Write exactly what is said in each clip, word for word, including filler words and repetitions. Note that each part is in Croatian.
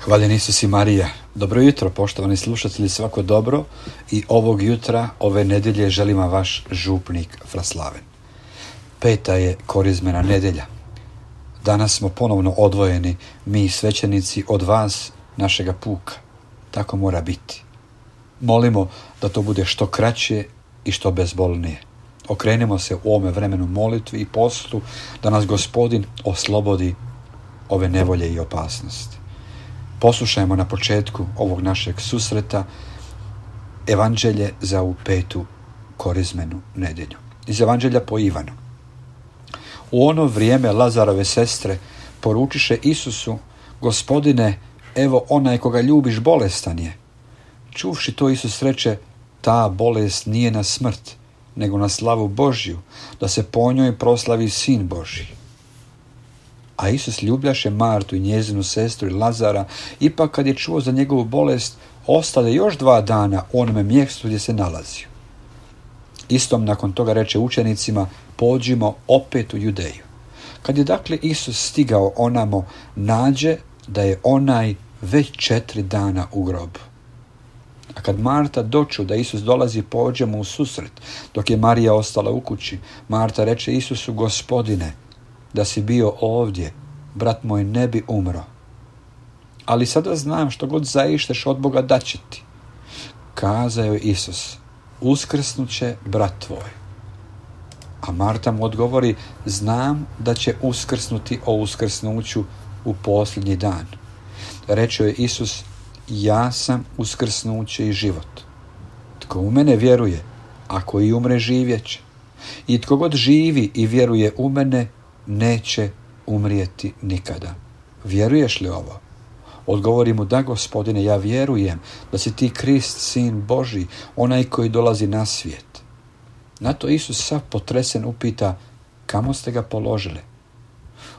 Hvaljen Isus i Marija. Dobro jutro, poštovani slušatelji, svako dobro i ovog jutra, ove nedelje želim vam vaš župnik Fraslaven. Peta je korizmena nedelja. Danas smo ponovno odvojeni, mi svećenici, od vas, našega puka. Tako mora biti. Molimo da to bude što kraće i što bezbolnije. Okrenemo se u ovome vremenu molitvi i postu, da nas Gospodin oslobodi ove nevolje i opasnosti. Poslušajmo na početku ovog našeg susreta Evanđelje za ovu petu korizmenu nedelju. Iz Evanđelja po Ivanu. U ono vrijeme Lazarove sestre poručiše Isusu: Gospodine, evo onaj koga ljubiš bolestan je. Čuvši to, Isus reče: ta bolest nije na smrt, nego na slavu Božju, da se po njoj proslavi Sin Božji. A Isus ljubljaše Martu i njezinu sestru i Lazara, ipak kad je čuo za njegovu bolest, ostade još dva dana u onome mjestu gdje se nalazio. Istom nakon toga reče učenicima: pođimo opet u Judeju. Kad je dakle Isus stigao onamo, nađe da je onaj već četiri dana u grobu. A kad Marta doču da Isus dolazi, pođe mu u susret, dok je Marija ostala u kući. Marta reče Isusu: Gospodine, da si bio ovdje, brat moj ne bi umro. Ali sada znam što god zaišteš od Boga da će ti. Kazao je Isus: uskrsnut će brat tvoj. A Marta mu odgovori: znam da će uskrsnuti o uskrsnuću u posljednji dan. Reče je Isus: ja sam uskrsnuće i život. Tko u mene vjeruje, ako i umre, živjet će. I tko god živi i vjeruje u mene, neće umrijeti nikada. Vjeruješ li ovo? Odgovori mu: da, Gospodine, ja vjerujem da si ti Krist, Sin Božji, onaj koji dolazi na svijet. Na to Isus sav potresen upita: kamo ste ga položili?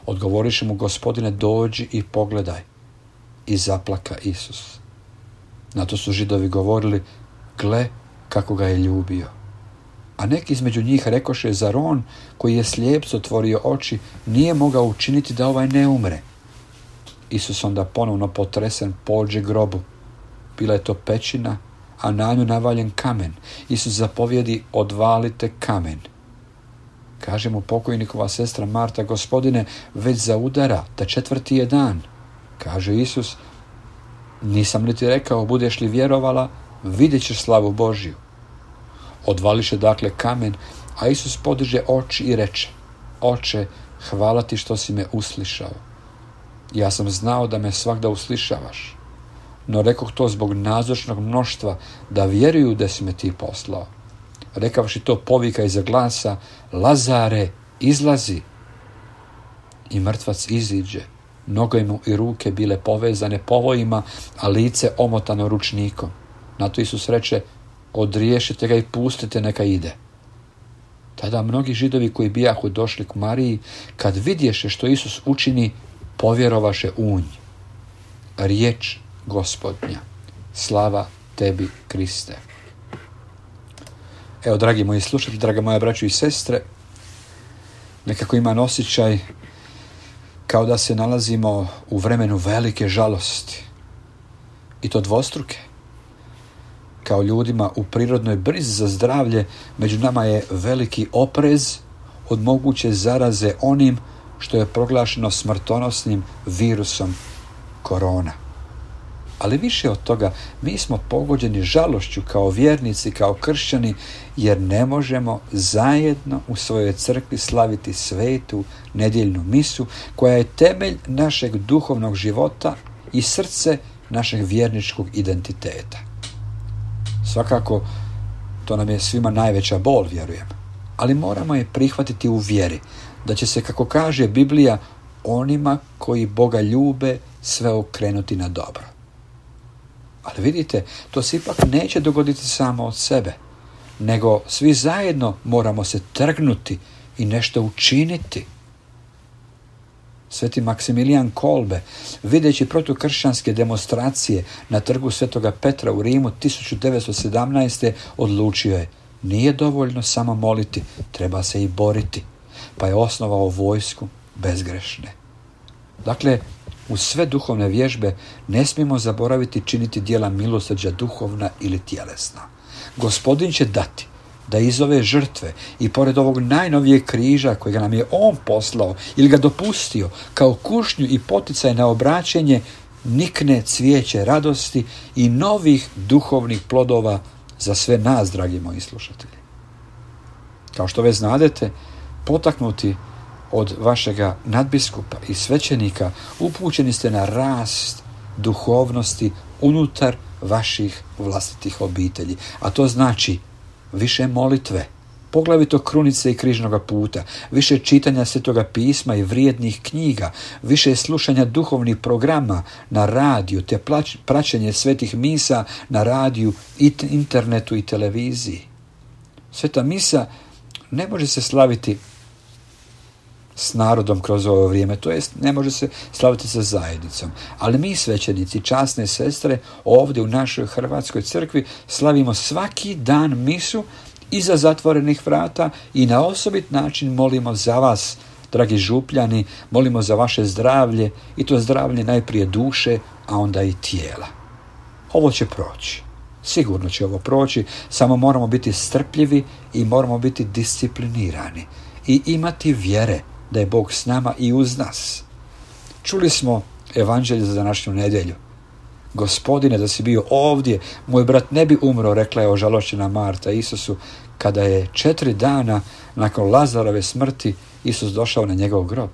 Odgovoriše mu: Gospodine, dođi i pogledaj. I zaplaka Isus. Na to su Židovi govorili: gle kako ga je ljubio. A neki između njih rekoše: zar on koji je slijepcu otvorio oči nije mogao učiniti da ovaj ne umre? Isus onda ponovno potresen pođe grobu. Bila je to pećina, a na nju navaljen kamen. Isus zapovjedi: odvalite kamen. Kaže mu pokojnikova sestra Marta: Gospodine, već zaudara, da četvrti je dan. Kaže Isus: nisam li ti rekao, budeš li vjerovala, vidjet ćeš slavu Božju. Odvališe dakle kamen, a Isus podiže oči i reče: Oče, hvala ti što si me uslišao. Ja sam znao da me svagda uslišavaš, no rekoh to zbog nazočnog mnoštva, da vjeruju da si me ti poslao. Rekavši to, povika iza glasa: Lazare, izlazi! I mrtvac iziđe, noge mu i ruke bile povezane povojima, a lice omotano ručnikom. Na to Isus reče: odriješite ga i pustite neka ide. Tada mnogi Židovi koji bijahu došli k Mariji, kad vidješe što Isus učini, povjerovaše u nj. Riječ Gospodnja. Slava tebi, Kriste. Evo, dragi moji slušatelji, draga moja braćo i sestre, nekako imam osjećaj kao da se nalazimo u vremenu velike žalosti. I to dvostruke. Kao ljudima u prirodnoj brizi za zdravlje, među nama je veliki oprez od moguće zaraze onim što je proglašeno smrtonosnim virusom korona. Ali više od toga, mi smo pogođeni žalošću kao vjernici, kao kršćani, jer ne možemo zajedno u svojoj crkvi slaviti svetu nedjeljnu misu, koja je temelj našeg duhovnog života i srce našeg vjerničkog identiteta. Svakako, to nam je svima najveća bol, vjerujem. Ali moramo je prihvatiti u vjeri, da će se, kako kaže Biblija, onima koji Boga ljube sve okrenuti na dobro. Ali vidite, to se ipak neće dogoditi samo od sebe, nego svi zajedno moramo se trgnuti i nešto učiniti. Sveti Maksimilijan Kolbe, videći protukršćanske demonstracije na trgu Svetoga Petra u Rimu tisuću devetsto sedamnaeste. odlučio je: nije dovoljno samo moliti, treba se i boriti. Pa je osnovao vojsku bezgrešne. Dakle, uz sve duhovne vježbe ne smijemo zaboraviti činiti djela milosrđa duhovna ili tjelesna. Gospodin će dati da iz ove žrtve i pored ovog najnovijeg križa kojega nam je On poslao ili ga dopustio kao kušnju i poticaj na obraćenje, nikne cvijeće radosti i novih duhovnih plodova za sve nas, dragi moji slušatelji. Kao što već znadete, potaknuti od vašega nadbiskupa i svećenika, upućeni ste na rast duhovnosti unutar vaših vlastitih obitelji. A to znači više molitve, poglavito krunice i križnoga puta, više čitanja Svetoga pisma i vrijednih knjiga, više slušanja duhovnih programa na radiju, te praćenje svetih misa na radiju, internetu i televiziji. Sveta misa ne može se slaviti s narodom kroz ovo vrijeme, to jest ne može se slaviti sa zajednicom. Ali mi, svećenici, časne sestre, ovdje u našoj Hrvatskoj crkvi slavimo svaki dan misu iza zatvorenih vrata i na osobit način molimo za vas, dragi župljani, molimo za vaše zdravlje, i to zdravlje najprije duše, a onda i tijela. Ovo će proći. Sigurno će ovo proći, samo moramo biti strpljivi i moramo biti disciplinirani i imati vjere da je Bog s nama i uz nas. Čuli smo evanđelje za današnju nedjelju. Gospodine, da si bio ovdje, moj brat ne bi umro, rekla je ožalošćena Marta Isusu, kada je četiri dana nakon Lazarove smrti Isus došao na njegov grob.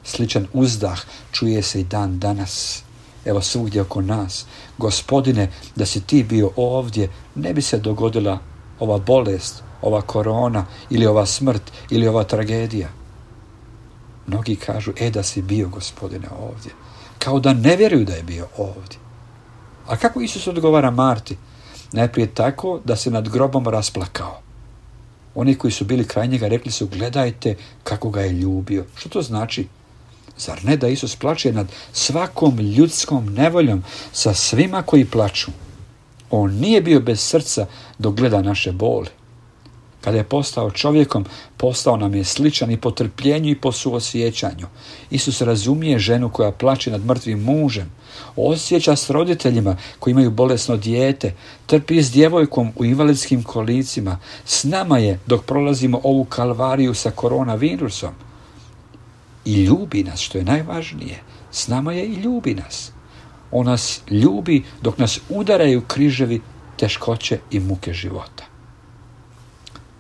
Sličan uzdah čuje se i dan danas. Evo svugdje oko nas. Gospodine, da si ti bio ovdje, ne bi se dogodila ova bolest, ova korona ili ova smrt ili ova tragedija. Mnogi kažu, e da si bio, Gospodine, ovdje. Kao da ne vjeruju da je bio ovdje. A kako Isus odgovara Marti? Najprije tako da se nad grobom rasplakao. Oni koji su bili kraj njega rekli su, gledajte kako ga je ljubio. Što to znači? Zar ne da Isus plače nad svakom ljudskom nevoljom, sa svima koji plaču? On nije bio bez srca dok gleda naše boli. Kada je postao čovjekom, postao nam je sličan i po trpljenju i po suosjećanju. Isus razumije ženu koja plače nad mrtvim mužem, osjeća s roditeljima koji imaju bolesno dijete, trpi s djevojkom u invalidskim kolicima. S nama je dok prolazimo ovu kalvariju sa koronavirusom. I ljubi nas, što je najvažnije. S nama je i ljubi nas. On nas ljubi dok nas udaraju križevi, teškoće i muke života.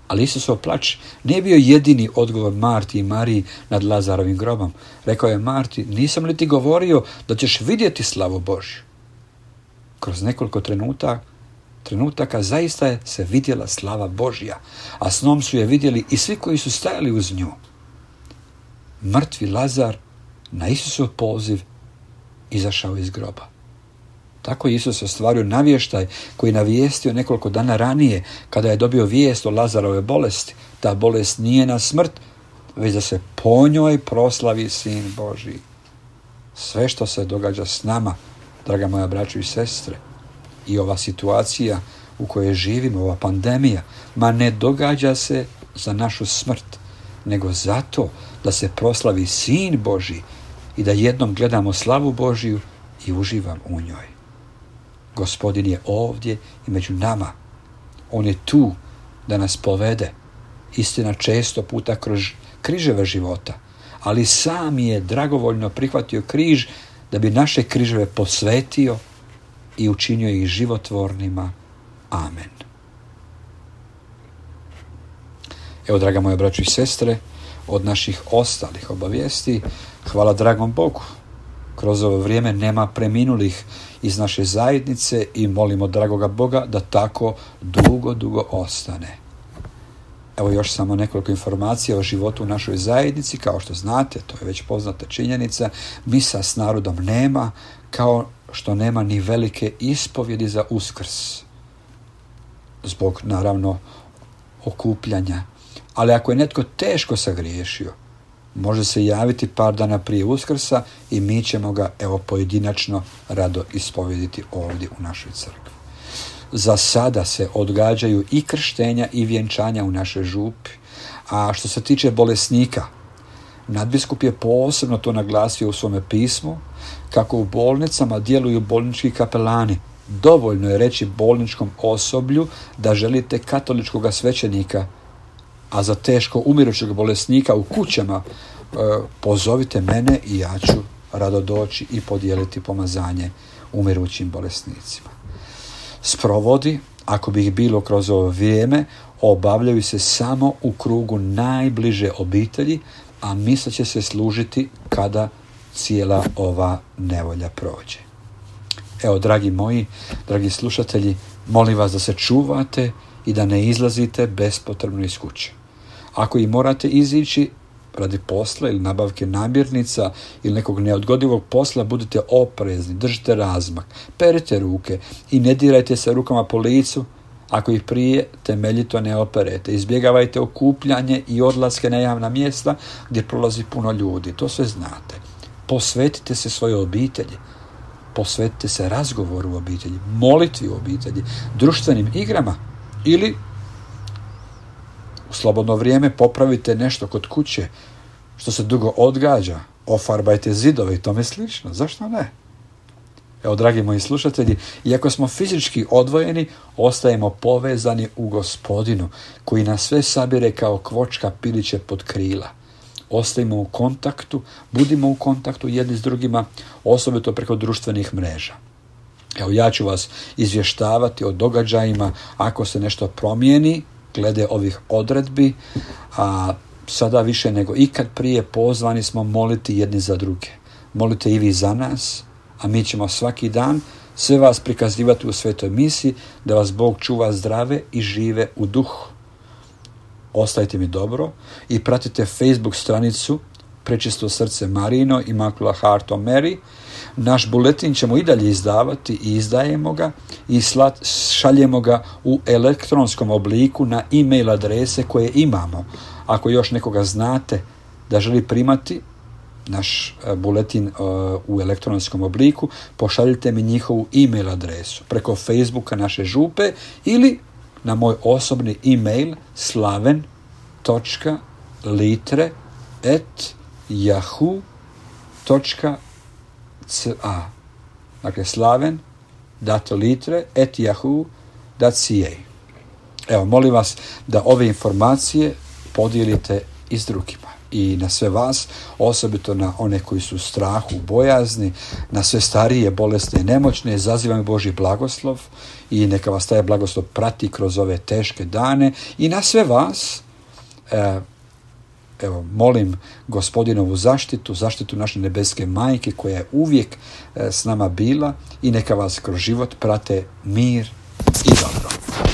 Ali Isusov plač nije bio jedini odgovor Marti i Mariji nad Lazarovim grobom. Rekao je Marti, nisam li ti govorio da ćeš vidjeti slavu Božju? Kroz nekoliko trenutaka, trenutaka zaista je se vidjela slava Božja, a snom su je vidjeli i svi koji su stajali uz nju. Mrtvi Lazar na Isusov poziv izašao iz groba. Tako je Isus ostvario navještaj koji je navijestio nekoliko dana ranije kada je dobio vijest o Lazarove bolesti. Ta bolest nije na smrt, već da se po njoj proslavi Sin Božji. Sve što se događa s nama, draga moja braćo i sestre, i ova situacija u kojoj živimo, ova pandemija, ma ne događa se za našu smrt, nego zato da se proslavi Sin Božji i da jednom gledamo slavu Božju i uživam u njoj. Gospodin je ovdje i među nama. On je tu da nas povede. Istina, često puta kroz križeve života, ali sam je dragovoljno prihvatio križ da bi naše križeve posvetio i učinio ih životvornima. Amen. Evo, draga moja braćo i sestre, od naših ostalih obavijesti, hvala dragom Bogu. Kroz ovo vrijeme nema preminulih iz naše zajednice i molimo dragoga Boga da tako dugo, dugo ostane. Evo još samo nekoliko informacija o životu u našoj zajednici. Kao što znate, to je već poznata činjenica, misa s narodom nema, kao što nema ni velike ispovjedi za Uskrs. Zbog, naravno, okupljanja. Ali ako je netko teško sagriješio, može se javiti par dana prije Uskrsa i mi ćemo ga, evo, pojedinačno rado ispovjediti ovdje u našoj crkvi. Za sada se odgađaju i krštenja i vjenčanja u našoj župi. A što se tiče bolesnika, nadbiskup je posebno to naglasio u svome pismu, kako u bolnicama djeluju bolnički kapelani. Dovoljno je reći bolničkom osoblju da želite katoličkog svećenika, a za teško umirućeg bolesnika u kućama e, pozovite mene i ja ću rado doći i podijeliti pomazanje umirućim bolesnicima. Sprovodi, ako bi ih bilo kroz ovo vrijeme, obavljaju se samo u krugu najbliže obitelji, a misa će se služiti kada cijela ova nevolja prođe. Evo, dragi moji, dragi slušatelji, molim vas da se čuvate i da ne izlazite bespotrebno iz kuće. Ako i morate izići radi posla ili nabavke namirnica ili nekog neodgodivog posla, budite oprezni, držite razmak, perite ruke i ne dirajte se rukama po licu ako ih prije temeljito ne operete. Izbjegavajte okupljanje i odlaske na javna mjesta gdje prolazi puno ljudi. To sve znate. Posvetite se svojoj obitelji. Posvetite se razgovoru u obitelji, molitvi u obitelji, društvenim igrama ili u slobodno vrijeme popravite nešto kod kuće što se dugo odgađa, ofarbajte zidove i tome slično. Zašto ne? Evo, dragi moji slušatelji, iako smo fizički odvojeni, ostajemo povezani u Gospodinu, koji nas sve sabire kao kvočka piliće pod krila. Ostajemo u kontaktu, budimo u kontaktu jedni s drugima, osobito preko društvenih mreža. Evo, ja ću vas izvještavati o događajima ako se nešto promijeni glede ovih odredbi, a sada više nego ikad prije pozvani smo moliti jedni za druge. Molite i vi za nas, a mi ćemo svaki dan sve vas prikazivati u svetoj misi, da vas Bog čuva zdrave i žive u duhu. Ostajte mi dobro i pratite Facebook stranicu Prečisto srce Marino, Immaculate Heart of Mary. Naš buletin ćemo i dalje izdavati i izdajemo ga i slat, šaljemo ga u elektronskom obliku na e-mail adrese koje imamo. Ako još nekoga znate da želi primati naš buletin uh, u elektronskom obliku, pošaljite mi njihovu e-mail adresu preko Facebooka naše župe ili na moj osobni e-mail slaven točka litre at yahoo točka ca. Dakle, slaven dato litre at yahoo dot ca. Evo, molim vas da ove informacije podijelite i s drugima. I na sve vas, osobito na one koji su u strahu, bojazni, na sve starije, bolesne i nemoćne, zazivam Božji blagoslov i neka vas taj blagoslov prati kroz ove teške dane. I na sve vas, eh, evo, molim Gospodinovu zaštitu, zaštitu naše nebeske majke koja je uvijek eh, s nama bila, i neka vas kroz život prate mir i dobro.